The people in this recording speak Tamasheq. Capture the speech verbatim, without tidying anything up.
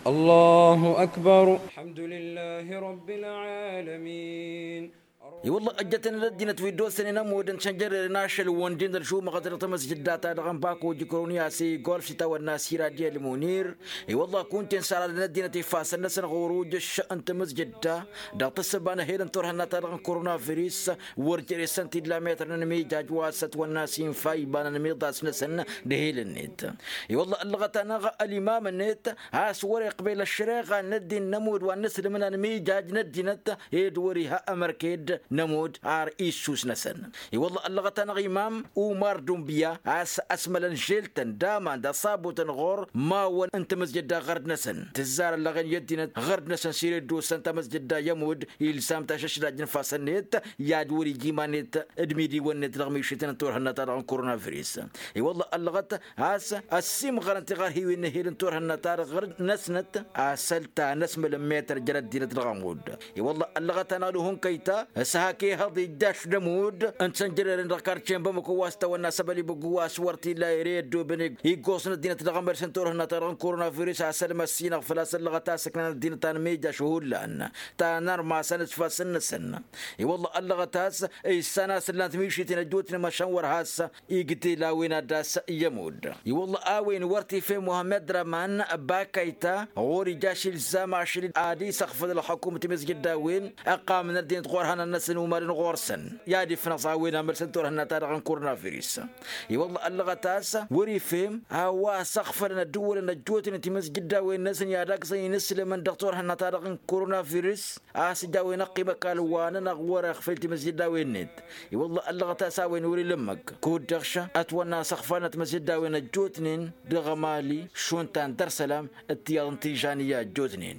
Ăllahu ăkbar. Ălḥămdulillah. Rabbil ălmin. I-wălla ăjjătăn d-ăddinăt wi dd-osănen ămud n-sănjărăren ašăl-wăn din ălžumăɣăt dăɣ-tamăzjǝdda-ta-dăɣ n-bako jǝkrăwăn i-asăy golf s-itawănna s-iradi ălmunir. I-wălla kunta-en săr-ad-năddinăt ifassăn-năsăn ɣur-ujǝš n-tamăzjǝdda dăɣ-tǝssǝba n-ehel n-turhǝnna-ta-dăɣ n-koronavirus. Wăr jere-săn t-illa metăr n-anmijaj wa s-ătwănna s-infa iba n-anmiḍas-năsăn d-ehel-net. I-wălla ăllăɣăt-anăɣ ălimam-net a-s wăr-iqbel ăššăreɣa n-ăddin n-ămudd wa n-inǝslǝm n-anmijaj n-ăddinăt ed wăr-iha ămărked n-ămudd ar issus-năsăn. I-wălla ăllăɣăt-anăɣ imam umar dunbǝya a-s ăsmălăn žel-tăn d-aman d-aṣabutăn ɣur-mawăn n-tamăzjădda ɣărd-năsăn tǝzzar ăllăɣen i-ăddinăt ɣărd-năsăn s-ire dd-osăn tamăzjădda i-ămudd ilzam tašăšlaj n-ifassăn-net i-ad-wăr-ija iman-net d-imidiwăn-net dăɣ-mišităn n-turhǝnna-ta-dăɣ n-koronavirus. I-wălla ăllăɣăt a-s ăssiimɣărăn tiɣărhiwen n-ehel n-turhǝnna-ta-dăɣ ɣărd-năsnăt asăl ta n-ăsmălăn metăr jer-ăddinăt dăɣ-ămudd. I-wălla ăllăɣăt-anăɣ d-uhǝnkăy-ta s-hak ihăḍ ijjaš d-ămudd n-sănjărăren dăɣ-karce n-bamăko wa s-tawănna s-ăbăl ibǝggu wa s-wăr t-illa ere i-ăddooben iggoẓ n-ăddinăt dăɣ-emărs n-turhǝnna-ta-dăɣ n-koronavirus asăl măssinăɣ făl-a-s ăllăɣăt a-s ǝknan ăddinăt anmijjaš hullan ta n-armas anǝsfasăn-năsăn. I-wălla ăllăɣăt a-s issan a-s ǝllan timišiten ăjjootnen măšan wăr has-igdel a-wen ad-dd-ass i-ămudd. I-wălla a-wen wăr t-ife muhămmăd răman bakăyta ɣur-ijaš ilzam ašăl ad-isăɣfăl ălxukum timǝzjǝddawen ăqqamăn ăddinăt ɣur-ihănan-năsăn umadăn ɣur-săn i-ad-ifnăẓ a-wen amălsăn turhǝnna-ta-dăɣ n-koronavirus. I-wălla ăllăɣăt a-s wăr-ifem a-wa s-ăɣfălăn ăddǝwwălăn ăjjootnen timǝzjǝddawen-năsăn i-ad-agzăn inǝslǝmăn dăɣ-turhǝnna-ta-dăɣ n-koronavirus a-s ǝjawăn ăqqim ăkall wa nănăɣ wăr-iɣfel timǝzjǝddawen-net. I-wălla ăllăɣăt a-s a-wen wăr-ila ǝmmǝk kud-dăɣ šăn ătwănna s-ăɣfalnăt timǝzjǝddawen ăjjootnen dăɣ-emali šund ta n-dăr-isălam d-tiyyăḍ n-tižanǝyya ăjjootnen.